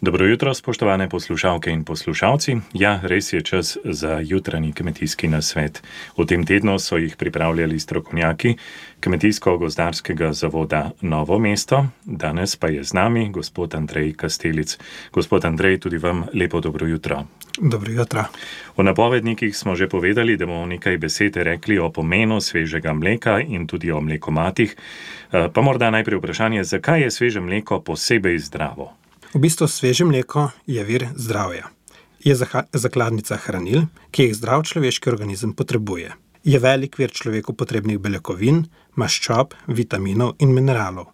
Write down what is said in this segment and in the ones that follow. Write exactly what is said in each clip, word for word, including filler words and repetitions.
Dobro jutro, spoštovane poslušalke in poslušalci. Ja, res je čas za jutranji kmetijski nasvet. V tem tednu so jih pripravljali strokovnjaki Kmetijsko-gozdarskega zavoda Novo mesto. Danes pa je z nami gospod Andrej Kastelic. Gospod Andrej, tudi vam lepo dobro jutro. Dobro jutro. V napovednikih smo že povedali, da bomo nekaj besed rekli o pomenu svežega mleka in tudi o mlekomatih. Pa morda najprej vprašanje, zakaj je sveže mleko posebej zdravo? V bistvu sveže mleko je vir zdravja. Je zakladnica hranil, ki jih zdrav človeški organizem potrebuje. Je velik vir človeku potrebnih beljakovin, maščob, vitaminov in mineralov.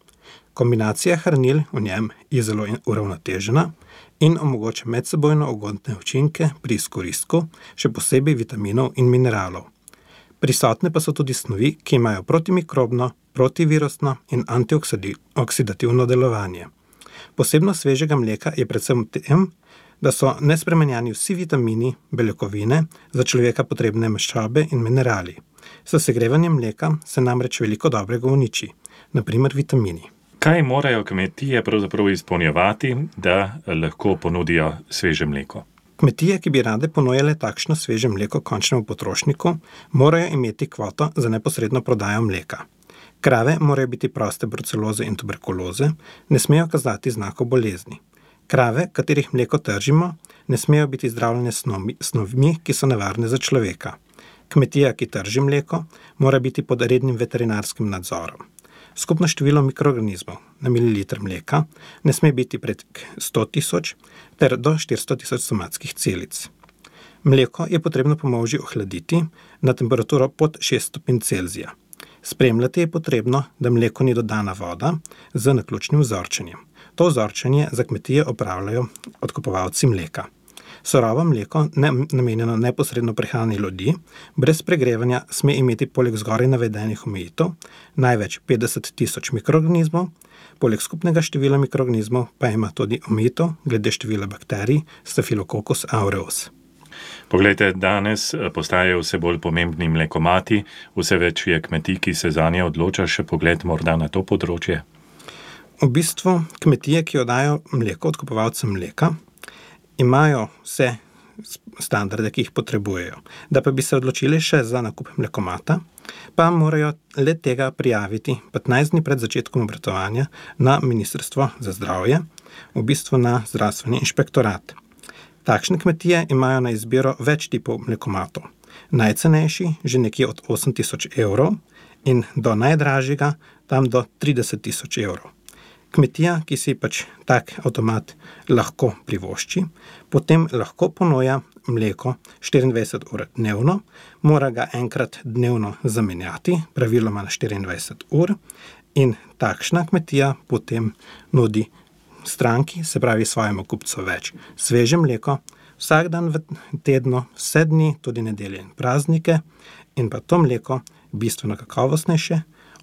Kombinacija hranil v njem je zelo uravnotežena in omogoča medsebojno ugodne učinke pri izkoristku, še posebej vitaminov in mineralov. Prisotne pa so tudi snovi, ki imajo protimikrobno, protivirusno in antioksidativno delovanje. Posebnost svežega mleka je predvsem v tem, da so nespremenjeni vsi vitamini, beljakovine, za človeka potrebne maščobe in minerali. S segrevanjem mleka se namreč veliko dobrega uniči, na primer vitamini. Kaj morajo kmetije pravzaprav izpolnjevati, da lahko ponudijo sveže mleko? Kmetije, ki bi rade ponujale takšno sveže mleko končnemu potrošniku, morajo imeti kvoto za neposredno prodajo mleka. Krave morajo biti proste bruceloze in tuberkuloze, ne smejo kazati znakov bolezni. Krave, katerih mleko tržimo, ne smejo biti zdravljene snovmi, ki so nevarne za človeka. Kmetija, ki trži mleko, mora biti pod rednim veterinarskim nadzorom. Skupno število mikroorganizmov na mililiter mleka ne sme biti pred sto tisoč ter do štiristo tisoč somatskih celic. Mleko je potrebno po molži ohladiti na temperaturo pod šest stopinj Celzija. Spremljati je potrebno, da mleko ni dodana voda z naključnim vzorčenjem. To vzorčenje za kmetije opravljajo odkupovalci mleka. Surovo mleko, ne, namenjeno neposredno prehrani ljudi, brez pregrevanja sme imeti poleg zgoraj navedenih omejitev največ petdeset tisoč mikroorganizmov, poleg skupnega števila mikroorganizmov pa ima tudi omejitev glede števila bakterij Staphylococcus aureus. Poglejte, danes postajajo vse bolj pomembni mlekomati, vse več je kmetij, ki se zanje odloča, še pogled morda na to področje. V bistvu kmetije, ki oddajo mleko odkupovalcem mleka, imajo vse standarde, ki jih potrebujejo. Da pa bi se odločili še za nakup mlekomata, pa morajo le tega prijaviti petnajst dni pred začetkom obratovanja na Ministrstvo za zdravje, v bistvu na zdravstveni inšpektorat. Takšne kmetije imajo na izbiro več tipov mlekomatov. Najcenejši že nekje od osem tisoč evrov in do najdražjega tam do trideset tisoč evrov. Kmetija, ki si pač tak avtomat lahko privošči, potem lahko ponuja mleko štiriindvajset ur dnevno, mora ga enkrat dnevno zamenjati, praviloma na štiriindvajset ur, in takšna kmetija potem nudi stranki, se pravi svojemu kupcu več sveže mleko, vsak dan v tednu, vse dni, tudi nedelje in praznike, in pa to mleko bistveno kakovostnejše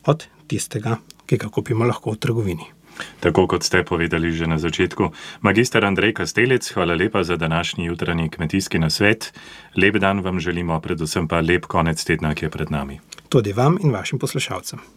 od tistega, ki ga kupimo lahko v trgovini. Tako kot ste povedali že na začetku. Magister Andrej Kastelic, hvala lepa za današnji jutranji kmetijski nasvet. Lep dan vam želimo, predvsem pa lep konec tedna, ki je pred nami. Tudi vam in vašim poslušalcem.